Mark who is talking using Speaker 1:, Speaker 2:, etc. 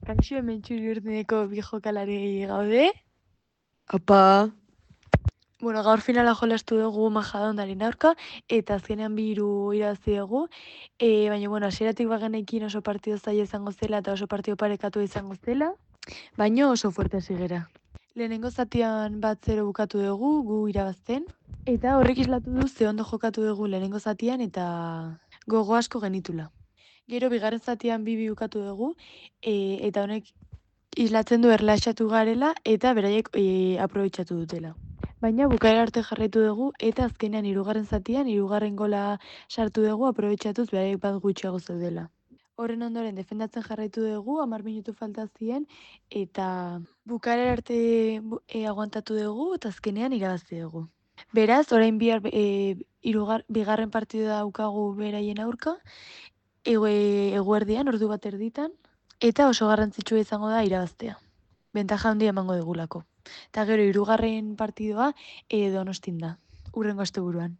Speaker 1: Kaixo hemen Txuri-Urdineko bi jokalari gaude.
Speaker 2: Apa,
Speaker 1: Bueno, gaur finala jolastu dugu Majadahondaren aurka, eta azkenean 2-3 irabazi dugu. Baina, bueno, hasieratik bagenekin oso partido zaila izango zela eta oso partido parekatu izango zela, baina oso fuerte hasi gera. Lehenengo zatian 1-0 bukatu dugu, gu irabazten, eta horrek islatu du ze ondo jokatu dugu lehenengo zatian eta gogo asko genitula. Gero bigarren zatian 2-2 bukatu dugu, eta honek islatzen du erlaxatu garela eta beraiek aprobetxatu dutela. Baina bukaera arte jarraitu dugu eta azkenean 3. zatian 3. gola sartu dugu aprobetxatuz beraiek bat gutxiago zeudela. Horren ondoren defendatzen jarraitu dugu, 10 minutu falta ziren eta bukaera arte aguantatu dugu eta azkenean irabazi dugu. Beraz, orain bihar bigarren partidua daukagu beraien aurka, eguerdian, ordu 1 eta oso garrantzitsua izango da irabaztea. Bentaja handia emango digulako. Eta gero 3. partidua Donostin da, hurrengo asteburuan.